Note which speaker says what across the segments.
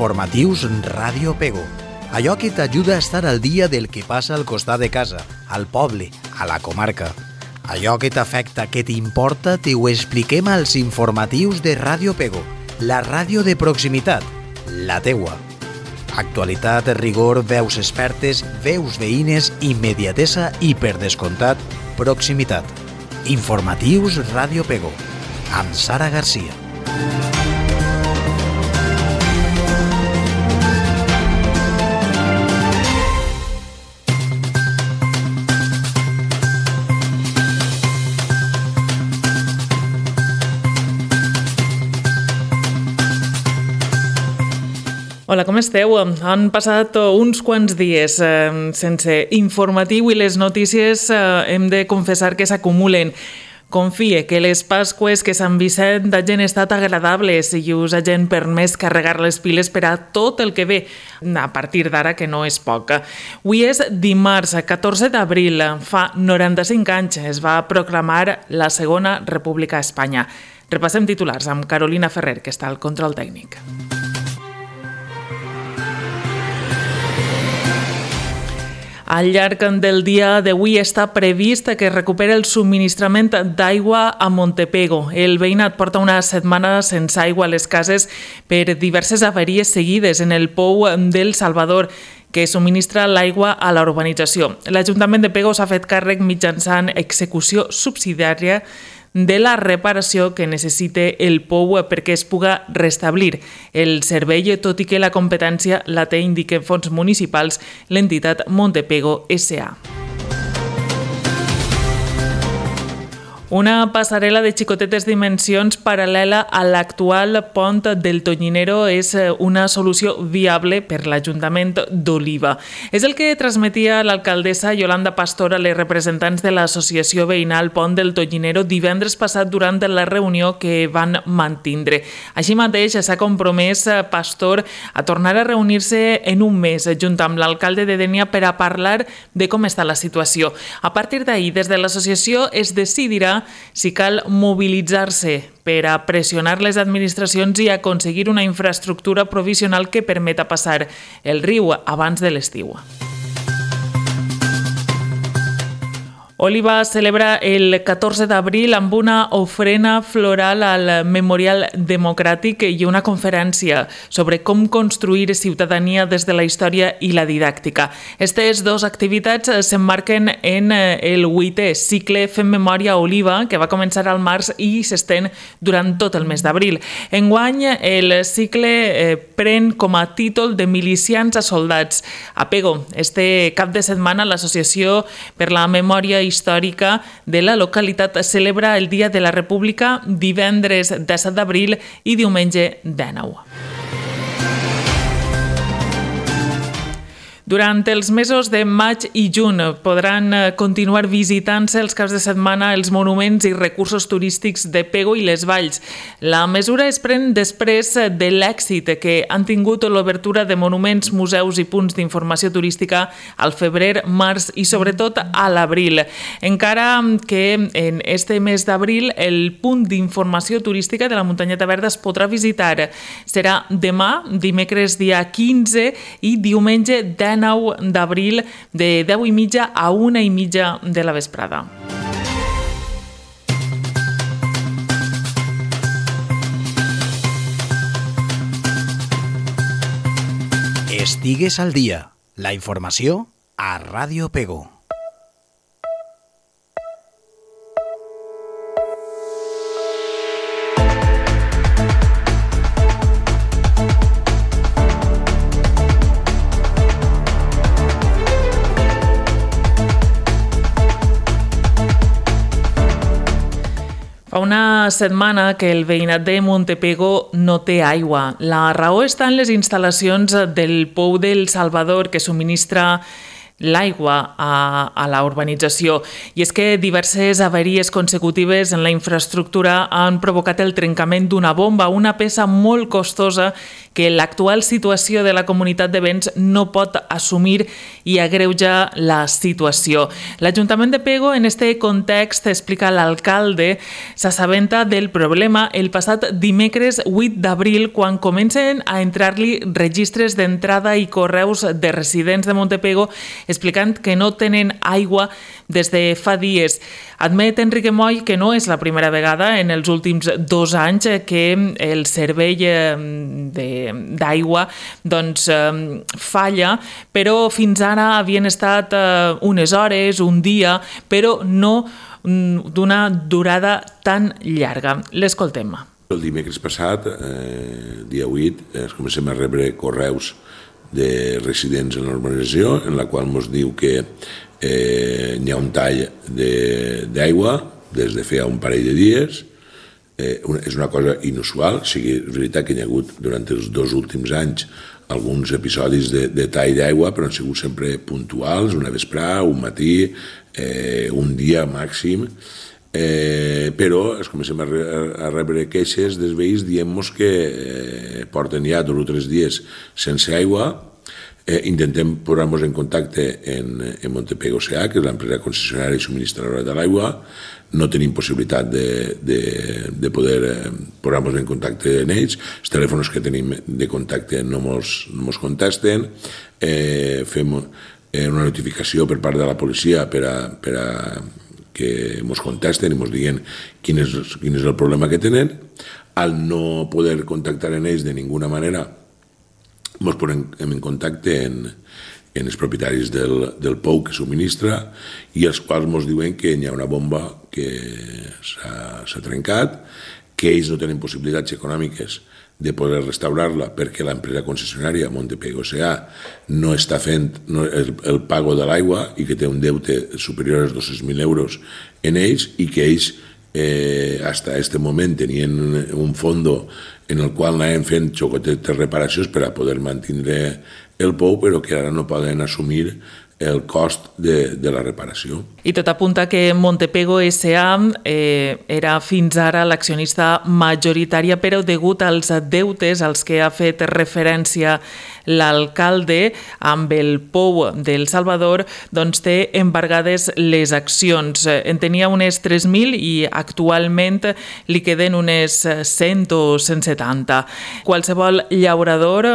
Speaker 1: Informatius Ràdio Pego. Allò que t'ajuda a estar al dia del que passa al costat de casa, al poble, a la comarca. Allò que t'afecta, que t'importa, t'ho expliquem als informatius de Ràdio Pego, la ràdio de proximitat, la teua. Actualitat, rigor, veus expertes, veus veïnes, immediatesa i, per descomptat, proximitat. Informatius Ràdio Pego, amb Sara Garcia.
Speaker 2: Hola, com esteu? Han passat uns quants dies sense informatiu i les notícies hem de confessar que s'acumulen. Confie que les Pasqües que Sant Vicent hagin estat agradables i us hagin permès carregar les piles per a tot el que ve a partir d'ara, que no és poc. Avui és dimarts, 14 d'abril. Fa 95 anys es va proclamar la Segona República a Espanya. Repassem titulars amb Carolina Ferrer, que està al control tècnic. Al llarg del dia d'avui està previst que es recuperi el subministrament d'aigua a Montepego. El veïnat porta una setmana sense aigua a les cases per diverses avaries seguides en el pou del Salvador, que subministra l'aigua a la urbanització. L'Ajuntament de Pego s'ha fet càrrec mitjançant execució subsidiària de la reparació que necessita el pou perquè es puga restablir el servei, tot i que la competència la té, indiquen fons municipals, l'entitat Montepego S.A. Una passarel·la de xicotetes dimensions paral·lela a l'actual pont del Tonyinero és una solució viable per l'Ajuntament d'Oliva. És el que transmetia l'alcaldessa Yolanda Pastor a les representants de l'associació veïnal Pont del Tonyinero divendres passat durant la reunió que van mantindre. Així mateix s'ha compromès Pastor a tornar a reunir-se en un mes junt amb l'alcalde de Dénia per a parlar de com està la situació. A partir d'ahir, des de l'associació es decidirà si cal mobilitzar-se per a pressionar les administracions i aconseguir una infraestructura provisional que permeta passar el riu abans de l'estiu. Oliva celebra el 14 d'abril amb una ofrena floral al Memorial Democràtic i una conferència sobre com construir ciutadania des de la història i la didàctica. Aquestes dues activitats s'emmarquen en el 8è cicle Fem Memòria Oliva, que va començar al març i s'estén durant tot el mes d'abril. Enguany, el cicle pren com a títol de Milicians a Soldats. A Pego, este cap de setmana, l'Associació per la Memòria Històrica de la localitat celebra el Dia de la República divendres 17 d'abril i diumenge 19. Durant els mesos de maig i juny podran continuar visitant-se els caps de setmana els monuments i recursos turístics de Pego i les Valls. La mesura es pren després de l'èxit que han tingut l'obertura de monuments, museus i punts d'informació turística al febrer, març i sobretot a l'abril. Encara que en este mes d'abril el punt d'informació turística de la Muntanyeta Verda es podrà visitar. Serà demà, dimecres dia 15 i diumenge 19 d'abril de 10:30 a 1:30 de la vesprada.
Speaker 1: Estigues al dia. La informació a Ràdio Pego.
Speaker 2: Fa una setmana que el veïnat de Montepego no té aigua. La raó està en les instal·lacions del pou del Salvador que subministra l'aigua a la urbanització. I és que diverses avaries consecutives en la infraestructura han provocat el trencament d'una bomba, una peça molt costosa que l'actual situació de la comunitat de béns no pot assumir i agreuja la situació. L'Ajuntament de Pego, en este context, explica l'alcalde, s'assabenta del problema el passat dimecres 8 d'abril, quan comencen a entrar-li registres d'entrada i correus de residents de Montepego explicant que no tenen aigua des de fa dies. Admet Enrique Moll que no és la primera vegada en els últims 2 anys que el servei d'aigua falla, però fins ara havien estat unes hores, un dia, però no d'una durada tan llarga. L'escoltem.
Speaker 3: El dimecres passat, dia 8, comencem a rebre correus de residents en l'urbanització, en la qual ens diu que hi ha un tall d'aigua des de fa un parell de dies. És una cosa inusual, és veritat que hi ha hagut durant els 2 últims anys alguns episodis de tall d'aigua, però han sigut sempre puntuals, una vesprada, un matí, un dia màxim, però comencem a rebre queixes dels veïns dient-nos que porten ja 2 o 3 dies sense aigua. Intentem posar-nos en contacte en Montepego S.A., que és l'empresa concessionària i subministradora de l'aigua. No tenim possibilitat de poder posar-nos en contacte amb ells. Els telèfons que tenim de contacte no ens contesten. Fem una notificació per part de la policia per a que ens contesten i ens diguin quin és el problema que tenen. Al no poder contactar amb ells de ninguna manera, ens posem en contacte amb els propietaris del pou que subministra i els quals ens diuen que hi ha una bomba que s'ha trencat, que ells no tenen possibilitats econòmiques de poder restaurar-la perquè l'empresa concessionària Montepego S.A. no està fent el pago de l'aigua i que té un deute superior als 200.000 euros en ells i que ells fins a aquest moment tenien un fondo en el qual anaven fent xocotetes reparacions per a poder mantenir el pou, però que ara no poden assumir el cost de la reparació.
Speaker 2: I tot apunta que Montepego S.A. era fins ara l'accionista majoritària, però degut als deutes als que ha fet referència l'alcalde amb el pou del Salvador, doncs té embargades les accions. En tenia unes 3.000 i actualment li queden unes 100 o 170. Qualsevol llaurador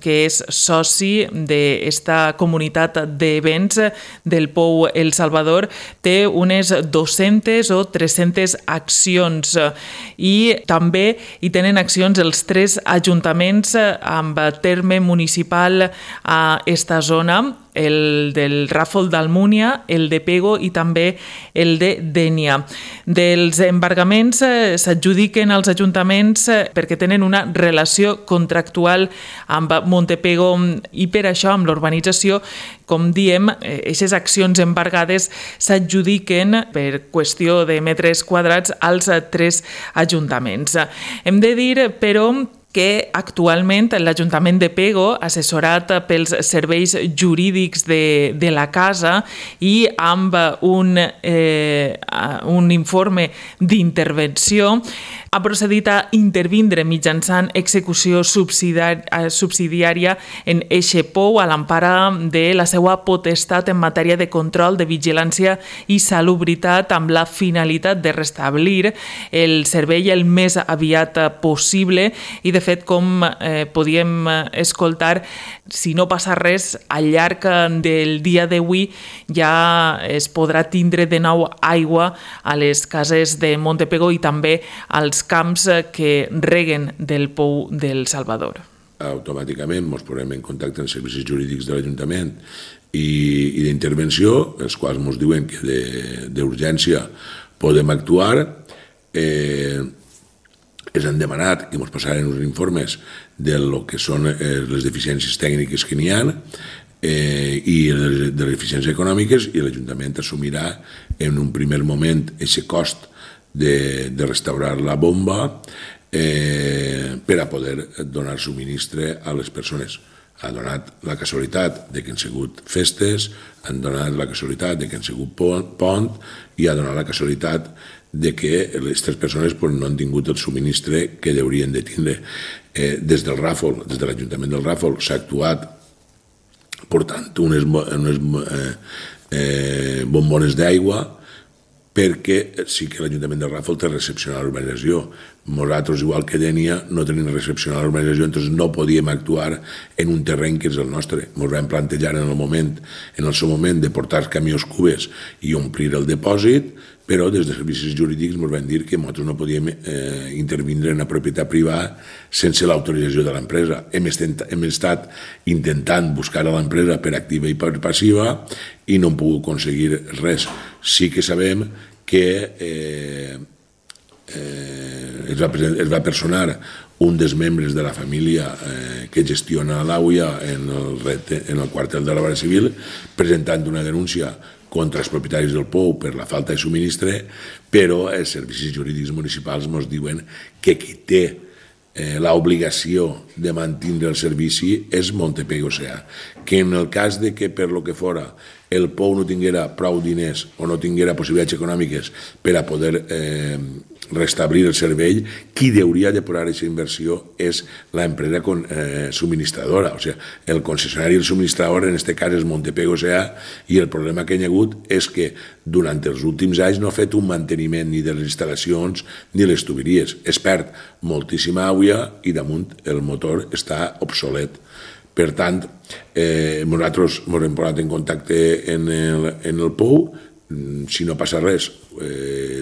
Speaker 2: que és soci d'esta comunitat de béns del pou El Salvador té unes 200 o 300 accions i també hi tenen accions els 3 ajuntaments amb terme municipal a esta zona, el del Ràfol d'Almúnia, el de Pego i també el de Dénia. Dels embargaments s'adjudiquen als ajuntaments perquè tenen una relació contractual amb Montepego i per això amb l'urbanització, com diem, aquestes accions embargades s'adjudiquen per qüestió de metres quadrats als 3 ajuntaments. Hem de dir, però, que actualment l'Ajuntament de Pego, assessorat pels serveis jurídics de la casa i amb un informe d'intervenció, ha procedit a intervindre mitjançant execució subsidiària en eixe pou a l'empara de la seva potestat en matèria de control, de vigilància i salubritat amb la finalitat de restablir el servei el més aviat possible i, de fet, com podíem escoltar, si no passa res, al llarg del dia d'avui ja es podrà tindre de nou aigua a les cases de Montepego i també als camps que reguen del pou del Salvador.
Speaker 3: Automàticament ens posem en contacte amb els servicis jurídics de l'Ajuntament i d'intervenció, els quals ens diuen que d'urgència podem actuar. Els han demanat que ens passaren uns informes de lo que són les deficiències tècniques que n'hi ha i de les deficiències econòmiques, i l'Ajuntament assumirà en un primer moment aquest cost de restaurar la bomba per a poder donar subministre a les persones. Ha donat la casualitat de que han sigut festes, han donat la casualitat de que han sigut pont i ha donat la casualitat de que aquestes persones no han tingut el subministre que haurien de tindre. Des del Ràfol, des de l'Ajuntament del Ràfol, s'ha actuat portant unes bombones d'aigua, perquè sí que l'Ajuntament de Ràfol té recepcionar l'urbanització. Nosaltres, igual que Dénia, no tenim recepcionar l'urbanització, doncs no podíem actuar en un terreny que és el nostre. Ens vam plantejar en el seu moment de portar camions cubes i omplir el depòsit, però des de servicis jurídics ens van dir que nosaltres no podíem intervindre en la propietat privada sense l'autorització de l'empresa. Hem estat intentant buscar a l'empresa per activa i per passiva i no hem pogut aconseguir res. Sí que sabem que es va personar un dels membres de la família que gestiona l'AUIA en el quartel de la Guàrdia Civil presentant una denúncia contra els propietaris del POU per la falta de subministre, però els servicis jurídics municipals ens diuen que qui té l'obligació de mantenir el servici és Montepego S.A., que en el cas de que per lo que fora el POU no tinguera prou diners o no tinguera possibilitats econòmiques per a poder restablir el servei, qui hauria de posar aquesta inversió és l'empresa subministradora, o sigui, el concessionari i el subministrador en aquest cas és Montepego S.A. i el problema que hi ha hagut és que durant els últims anys no ha fet un manteniment ni de les instal·lacions ni les tuberies. Es perd moltíssima aigua i damunt el motor està obsolet. Per tant, nosaltres ens hem posat en contacte en el POU. Si no passa res,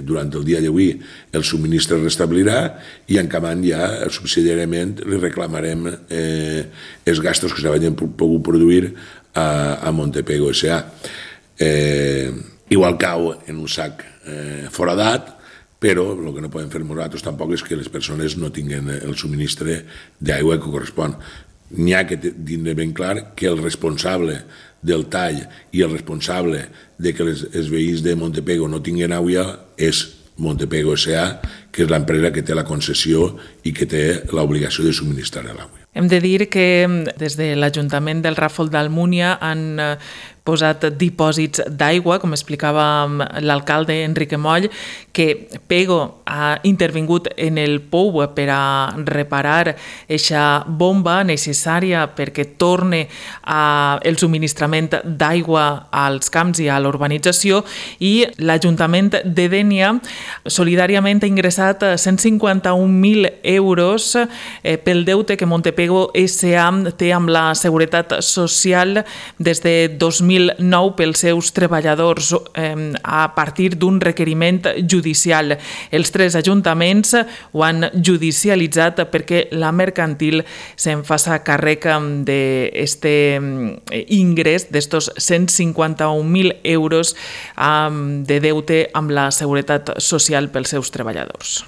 Speaker 3: durant el dia d'avui el subministre es restablirà i encamant ja subsidiàriament li reclamarem els gastos que s'havien pogut produir a Montepego S.A. Igual cau en un sac foradat, però el que no podem fer nosaltres tampoc és que les persones no tinguin el subministre d'aigua que correspon. N'hi ha que tindre ben clar que el responsable del tall i el responsable de que els veïns de Montepego no tinguin aigua és Montepego S.A., que és l'empresa que té la concessió i que té l'obligació de subministrar l'aigua.
Speaker 2: Hem de dir que des de l'Ajuntament del Ràfol d'Almúnia han posat dipòsits d'aigua, com explicava l'alcalde Enrique Moll, que Pego ha intervingut en el POU per a reparar aquesta bomba necessària perquè torne el subministrament d'aigua als camps i a l'urbanització, i l'Ajuntament de Dénia solidàriament ha ingressat 151.000 euros pel deute que Montepego S.A. té amb la Seguretat Social des de 2009 pels seus treballadors a partir d'un requeriment judicial. Els tres ajuntaments ho han judicialitzat perquè la mercantil se'n faça càrrec d'aquest ingrés d'estos 151.000 euros de deute amb la Seguretat Social pels seus treballadors.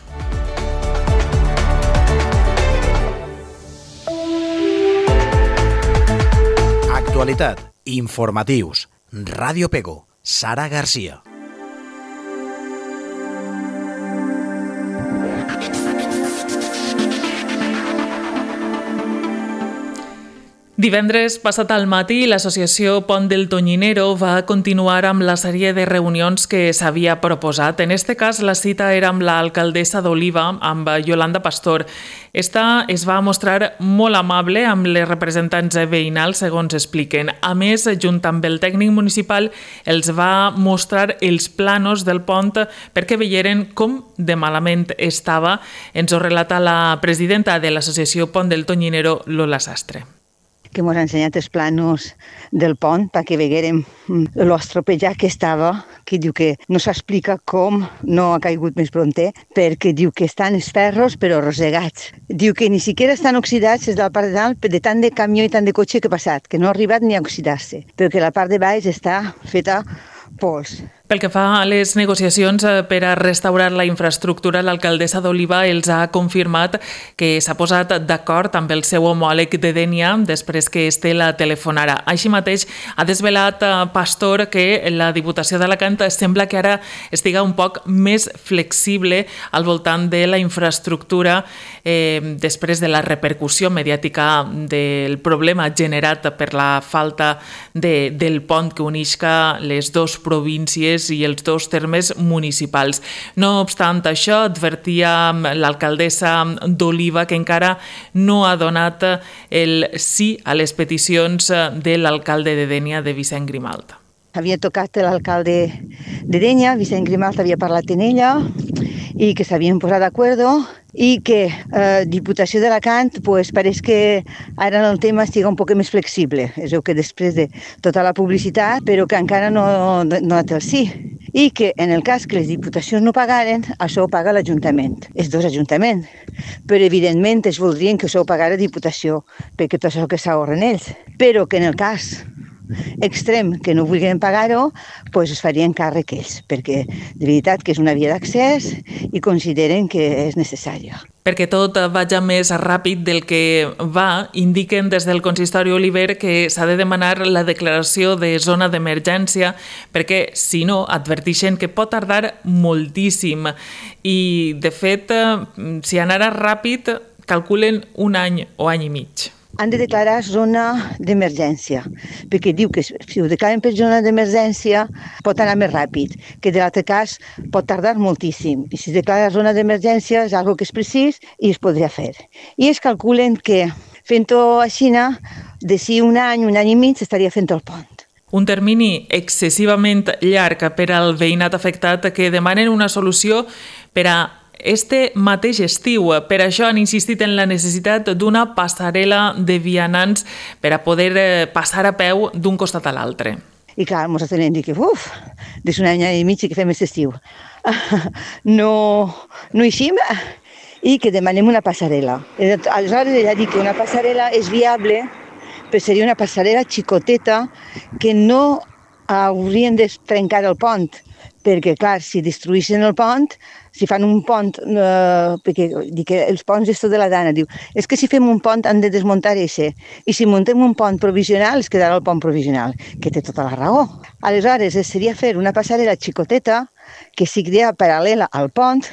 Speaker 1: Actualitat, informatius, Ràdio Pego, Sara Garcia.
Speaker 2: Divendres passat al matí, l'associació Pont del Tonyinero va continuar amb la sèrie de reunions que s'havia proposat. En aquest cas, la cita era amb l'alcaldessa d'Oliva, amb Yolanda Pastor. Esta es va mostrar molt amable amb les representants veïnals, segons expliquen. A més, junt amb el tècnic municipal, els va mostrar els planos del pont perquè veieren com de malament estava. Ens ho relata la presidenta de l'associació Pont del Tonyinero, Lola Sastre.
Speaker 4: Que ens ha ensenyat els planos del pont perquè veguérem l'estropejat que estava, que diu que no s'explica com no ha caigut més pronter, perquè diu que estan els ferros però rosegats. Diu que ni siquiera estan oxidats des de la part de dalt de tant de camió i tant de cotxe que ha passat, que no ha arribat ni a oxidar-se, però que la part de baix està feta pols.
Speaker 2: Pel que fa a les negociacions per a restaurar la infraestructura, l'alcaldessa d'Oliva els ha confirmat que s'ha posat d'acord amb el seu homòleg de Dénia després que la telefonara. Així mateix ha desvelat Pastor que la Diputació d'Alacant sembla que ara estiga un poc més flexible al voltant de la infraestructura després de la repercussió mediàtica del problema generat per la falta del pont que unisca les dues províncies Ribes i els 2 termes municipals. No obstant això, advertia l'alcaldessa d'Oliva que encara no ha donat el sí a les peticions de l'alcalde de Dénia, de Vicent Grimalt.
Speaker 4: Havia tocat l'alcalde de Dénia, Vicent Grimalt havia parlat amb ella i que s'havien posat d'acord i que Diputació d'Alacant pues, pareix que ara el tema estigui un poc més flexible. És que després de tota la publicitat, però que encara no ha donat el sí. I que en el cas que les diputacions no pagaren, això ho paga l'Ajuntament, els 2 ajuntaments. Però evidentment es voldrien que això ho pagara Diputació, perquè tot això que s'ahorren ells. Però que en el cas extrem que no vulguin pagar-ho, doncs es farien càrrec ells, perquè de veritat que és una via d'accés i consideren que és necessària.
Speaker 2: Perquè tot vagi més ràpid del que va, indiquen des del consistori Oliver que s'ha de demanar la declaració de zona d'emergència perquè, si no, adverteixen que pot tardar moltíssim. I, de fet, si anara ràpid, calculen 1 any o any i mig.
Speaker 4: Han de declarar zona d'emergència, perquè diu que si ho declaren per zona d'emergència pot anar més ràpid, que de l'altre cas pot tardar moltíssim. I si es declara zona d'emergència és una cosa que és precís i es podria fer. I es calculen que fent-ho així, d'ací 1 any i mig s'estaria fent el pont.
Speaker 2: Un termini excessivament llarg per al veïnat afectat que demanen una solució per a este mateix estiu. Per això han insistit en la necessitat d'una passarel·la de vianants per a poder passar a peu d'un costat a l'altre.
Speaker 4: I clar, ens hem dit que, des d'un any i mig que fem aquest estiu. No eixim i que demanem una passarel·la. Aleshores ella ha dit que una passarel·la és viable, però seria una passarel·la xicoteta que no haurien de trencar el pont, perquè, clar, si destruïssin el pont, si fan un pont, perquè dic que els ponts és tot de la dana, diu, és que si fem un pont han de desmuntar això, i si muntem un pont provisional es quedarà el pont provisional, que té tota la raó. Aleshores, seria fer una passarel·la xicoteta que sigui paral·lela al pont,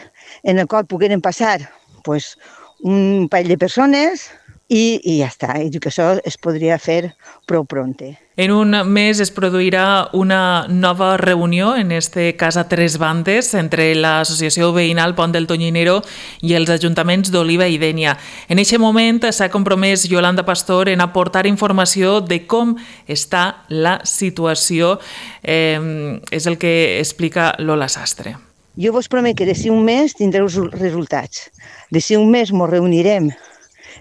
Speaker 4: en el qual pogueren passar pues, un parell de persones i ja està. I diu que això es podria fer prou pronte.
Speaker 2: En un mes es produirà una nova reunió, en este cas a 3 bandes, entre l'Associació Veïnal Pont del Tonyinero i els ajuntaments d'Oliva i Dénia. En aquest moment s'ha compromès Yolanda Pastor en aportar informació de com està la situació. És el que explica Lola Sastre.
Speaker 4: Jo vos promet que d'ací un mes tindreu els resultats. D'ací un mes ens reunirem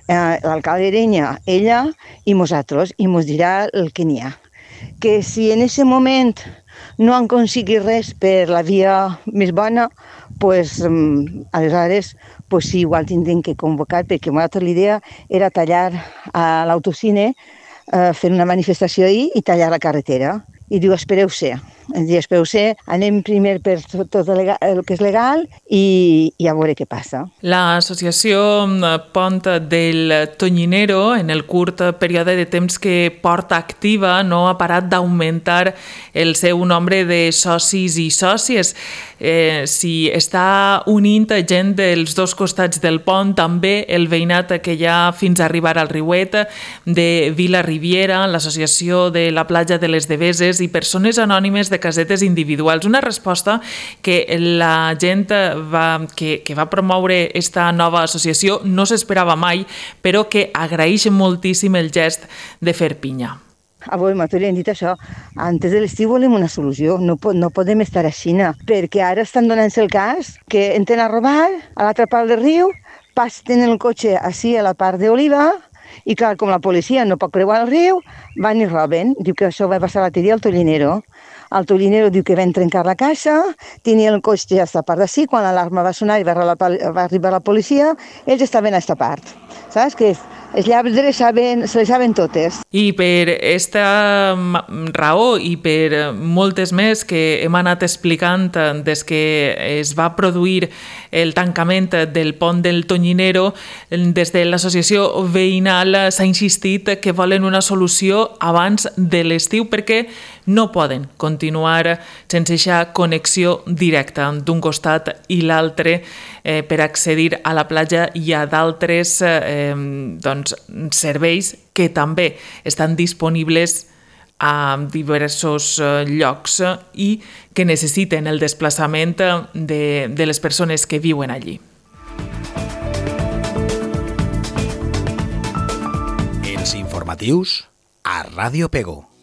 Speaker 4: l'alcalde de Dénia, ella i nosaltres, i ens dirà el que n'hi ha. Que si en aquest moment no han aconseguit res per la via més bona, pues, aleshores pues, sí, igual tindrem que convocar, perquè l'idea era tallar a l'autocine, fer una manifestació ahir i tallar la carretera. I diu, espereu-se, anem primer per tot el que és legal i a veure què passa.
Speaker 2: L'associació Pont del Tonyinero, en el curt període de temps que porta activa, no ha parat d'augmentar el seu nombre de socis i sòcies. Si està unint gent dels 2 costats del pont, també el veïnat que hi ha fins a arribar al Riuet, de Vila Riviera, l'associació de la platja de les Deveses i persones anònimes de casetes individuals. Una resposta que la gent que va promoure esta nova associació no s'esperava mai, però que agraeix moltíssim el gest de fer pinya.
Speaker 4: Avui m'ho dit això, antes de l'estiu volem una solució, no podem estar així, perquè ara estan donant-se el cas que entren a robar a l'altra part del riu, passen el cotxe així a la part d'Oliva, i clar, com la policia no pot creuar el riu, van i roben. Diu que això va passar l'altre dia al Tonyinero. El Tonyinero diu que van trencar la caixa, tenia el cotxe a esta part d'ací, quan l'alarma va sonar i va arribar la policia, ells estaven a esta part. Saps? Que els lladres se les saben totes.
Speaker 2: I per aquesta raó i per moltes més que hem anat explicant des que es va produir el tancament del pont del Tonyinero, des de l'associació veïnal s'ha insistit que volen una solució abans de l'estiu perquè no poden continuar sense aquesta connexió directa d'un costat i l'altre per accedir a la platja i a d'altres serveis que també estan disponibles a diversos llocs i que necessiten el desplaçament de les persones que viuen allí.
Speaker 1: Els informatius a Ràdio Pego.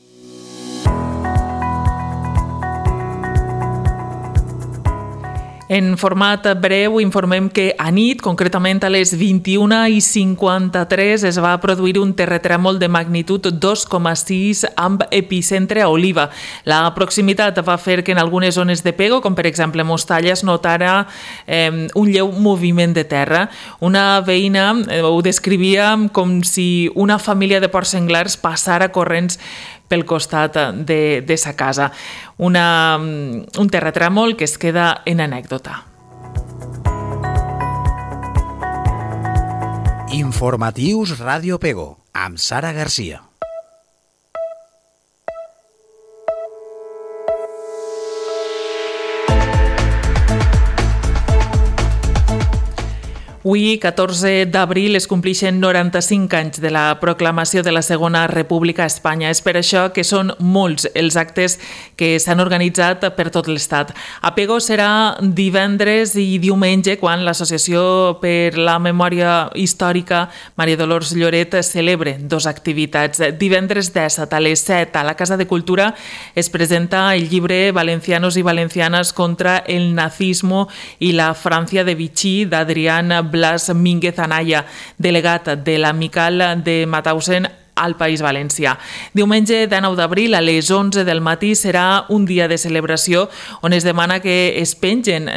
Speaker 2: En format breu informem que a nit, concretament a les 21:53, es va produir un terratrèmol de magnitud 2,6 amb epicentre a Oliva. La proximitat va fer que en algunes zones de Pego, com per exemple Mostalla, es notara un lleu moviment de terra. Una veïna ho descrivia com si una família de porcs senglars passara corrents pel costat de sa casa. Un terratrèmol que es queda en anècdota.
Speaker 1: Informatius Ràdio Pego, amb Sara Garcia.
Speaker 2: Avui, 14 d'abril, es complixen 95 anys de la proclamació de la Segona República a Espanya. És per això que són molts els actes que s'han organitzat per tot l'Estat. A Pego serà divendres i diumenge quan l'Associació per la Memòria Històrica Maria Dolors Lloret celebre dos activitats. Divendres 17 a les 7 a la Casa de Cultura es presenta el llibre Valencianos y Valencianas contra el nazismo y la Francia de Vichy d'Adrián Blas Mínguez Anaya, delegat de l'Amical de Mauthausen al País Valencià. Diumenge 19 d'abril a les 11 del matí serà un dia de celebració on es demana que es pengen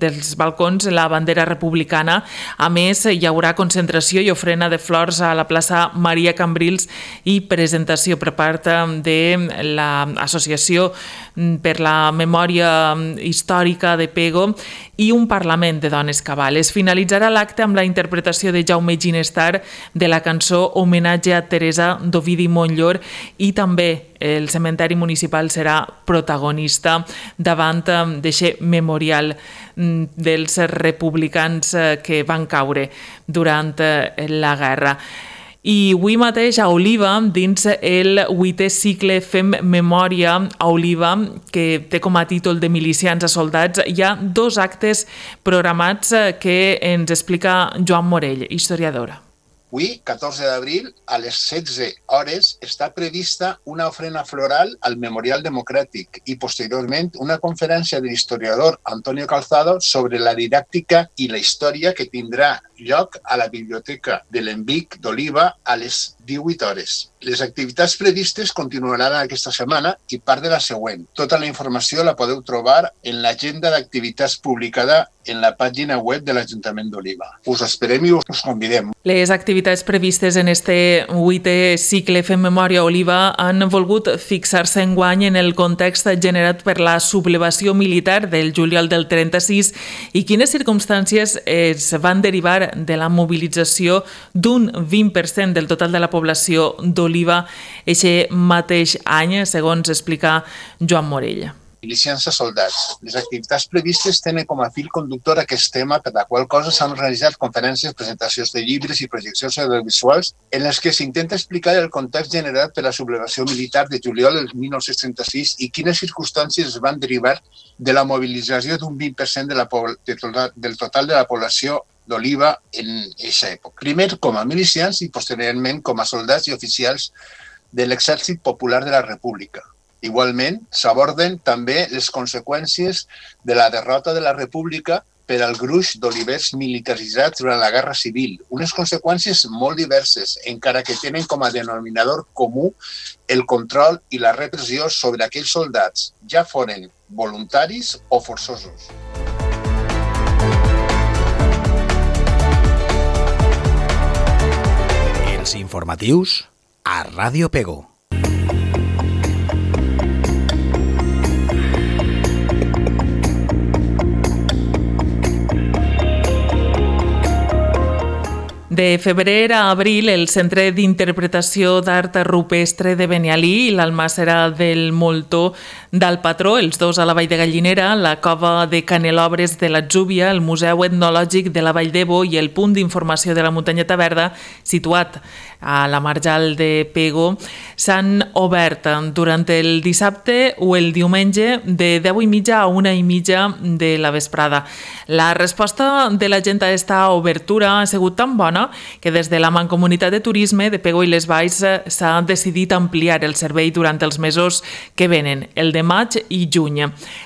Speaker 2: dels balcons la bandera republicana. A més, hi haurà concentració i ofrena de flors a la plaça Maria Cambrils i presentació per part de l'Associació per la Memòria Històrica de Pego i un Parlament de Dones Cabal. Es finalitzarà l'acte amb la interpretació de Jaume Ginestar de la cançó Homenatge a Teresa d'Ovidi Montllor i també el cementeri municipal serà protagonista davant d'aquest memorial dels republicans que van caure durant la guerra. I avui mateix a Oliva, dins el 8è cicle Fem Memòria a Oliva, que té com a títol de Milicians a Soldats, hi ha dos actes programats que ens explica Joan Morell, historiadora.
Speaker 5: Avui, 14 d'abril, a les 16 hores, està prevista una ofrena floral al Memorial Democràtic i, posteriorment, una conferència de l'historiador Antonio Calzado sobre la didàctica i la història que tindrà lloc a la Biblioteca de l'Envic d'Oliva a les 18 hores. Les activitats previstes continuaran aquesta setmana i part de la següent. Tota la informació la podeu trobar en l'agenda d'activitats publicada en la pàgina web de l'Ajuntament d'Oliva. Us esperem i us convidem.
Speaker 2: Les activitats previstes en este 8è cicle Fem Memòria a Oliva han volgut fixar-se enguany en el context generat per la sublevació militar del juliol del 36 i quines circumstàncies es van derivar de la mobilització d'un 20% del total de la població d'Oliva eixe mateix any, segons explica Joan Morell.
Speaker 5: Milicians a soldats. Les activitats previstes tenen com a fil conductor aquest tema, per la qual cosa s'han realitzat conferències, presentacions de llibres i projeccions audiovisuals en les que s'intenta explicar el context generat per la sublevació militar de juliol del 1936 i quines circumstàncies es van derivar de la mobilització d'un 20% del total de la població d'Oliva en aquesta època. Primer com a milicians i posteriorment com a soldats i oficials de l'Exèrcit Popular de la República. Igualment, s'aborden també les conseqüències de la derrota de la República per al gruix d'olivers militaritzats durant la Guerra Civil. Unes conseqüències molt diverses, encara que tenen com a denominador comú el control i la repressió sobre aquells soldats, ja foren voluntaris o forçosos.
Speaker 1: Els informatius a Ràdio Pego.
Speaker 2: De febrer a abril, el Centre d'Interpretació d'Art Rupestre de Benialí i l'Almàssera del Moltó del Patró, els dos a la Vall de Gallinera, la Cova de Canelobres de l'Atzúbia, el Museu Etnològic de la Vall d'Ebo i el Punt d'Informació de la Muntanyeta Verda, situat a la Marjal de Pego s'han obert durant el dissabte o el diumenge de 10:30 a 1:30 de la vesprada. La resposta de la gent a aquesta obertura ha sigut tan bona que des de la Mancomunitat de Turisme de Pego i les Valls s'ha decidit ampliar el servei durant els mesos que venen, el de maig i juny.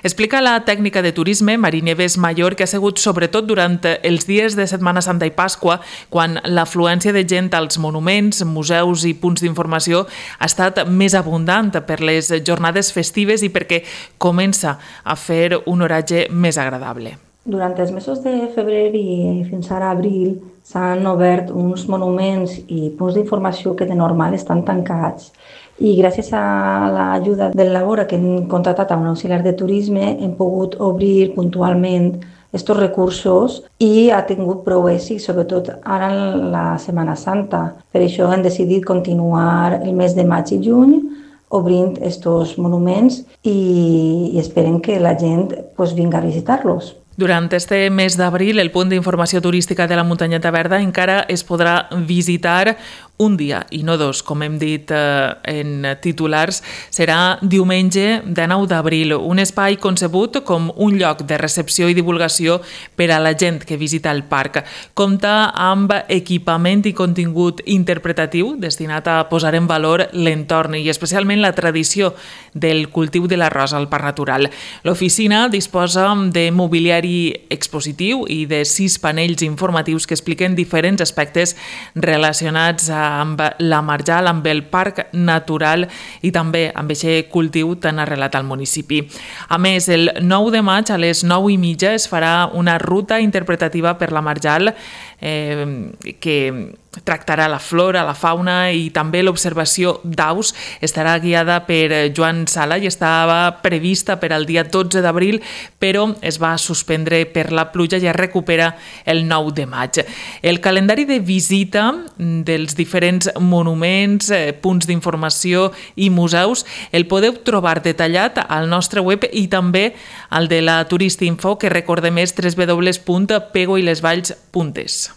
Speaker 2: Explica la tècnica de turisme Marí Nieves Mayor que ha sigut sobretot durant els dies de Setmana Santa i Pasqua, quan l'afluència de gent als monuments, museus i punts d'informació ha estat més abundant per les jornades festives i perquè comença a fer un horatge més agradable.
Speaker 6: Durant els mesos de febrer i fins ara abril s'han obert uns monuments i punts d'informació que de normal estan tancats. I gràcies a l'ajuda del Labora que hem contractat a un auxiliar de turisme hem pogut obrir puntualment aquests recursos i ha tingut prou èxit, sobretot ara en la Setmana Santa. Per això hem decidit continuar el mes de maig i juny obrint aquests monuments i esperem que la gent vingui a visitar-los.
Speaker 2: Durant este mes d'abril, el punt d'informació turística de la Muntanyeta Verda encara es podrà visitar un dia i no dos, com hem dit en titulars. Serà diumenge 19 d'abril, un espai concebut com un lloc de recepció i divulgació per a la gent que visita el parc. Compta amb equipament i contingut interpretatiu destinat a posar en valor l'entorn i especialment la tradició del cultiu de l'arròs al Parc Natural. L'oficina disposa de mobiliari expositiu i de 6 panells informatius que expliquen diferents aspectes relacionats amb la Marjal, amb el Parc Natural i també amb aquest cultiu tan arrelat al municipi. A més, el 9 de maig a les 9:30 es farà una ruta interpretativa per la Marjal que tractarà la flora, la fauna i també l'observació d'aus. Estarà guiada per Joan Sala i estava prevista per al dia 12 d'abril, però es va suspendre per la pluja i es recupera el 9 de maig. El calendari de visita dels diferents monuments, punts d'informació i museus el podeu trobar detallat al nostre web i també al de la Turistinfo, que recordem és www.pegoilesvalls.es.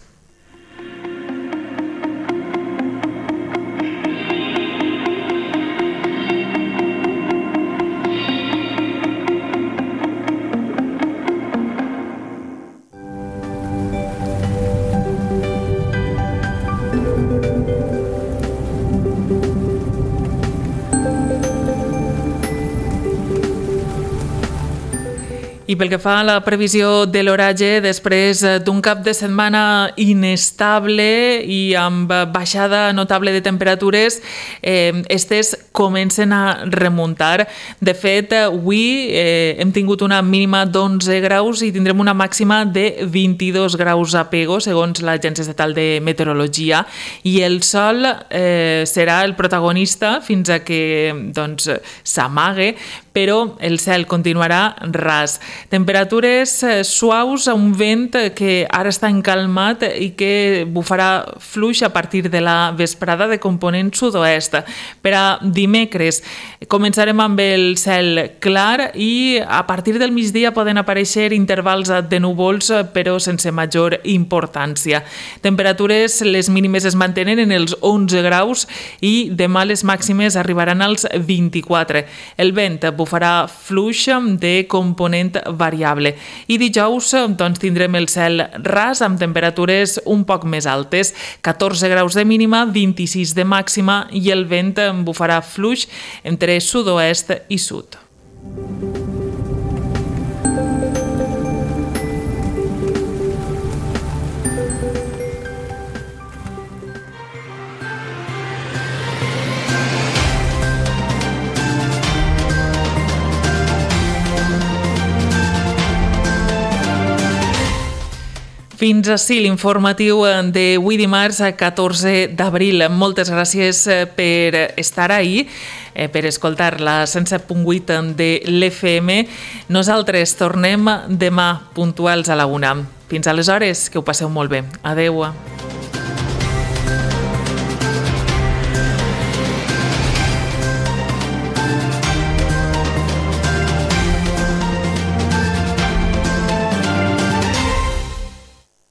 Speaker 2: I pel que fa a la previsió de l'oratge, després d'un cap de setmana inestable i amb baixada notable de temperatures, estes comencen a remuntar. De fet, avui hem tingut una mínima d'11 graus i tindrem una màxima de 22 graus a Pego, segons l'Agència Estatal de Meteorologia, i el sol serà el protagonista fins a que s'amague, però el cel continuarà ras. Temperatures suaus, un vent que ara està encalmat i que bufarà fluix a partir de la vesprada de component sud-oest. Per a dimecres començarem amb el cel clar i a partir del migdia poden aparèixer intervals de núvols, però sense major importància. Temperatures, les mínimes es mantenen en els 11 graus i demà les màximes arribaran als 24. El vent bufarà fluix de component variable. I dijous tindrem el cel ras amb temperatures un poc més altes, 14 graus de mínima, 26 de màxima i el vent bufarà fluix entre sud-oest i sud. Fins ací l'informatiu d'avui dimarts, 14 d'abril. Moltes gràcies per estar ahí, per escoltar la 107.8 de l'FM. Nosaltres tornem demà puntuals a la 1. Fins aleshores, que ho passeu molt bé. Adeu.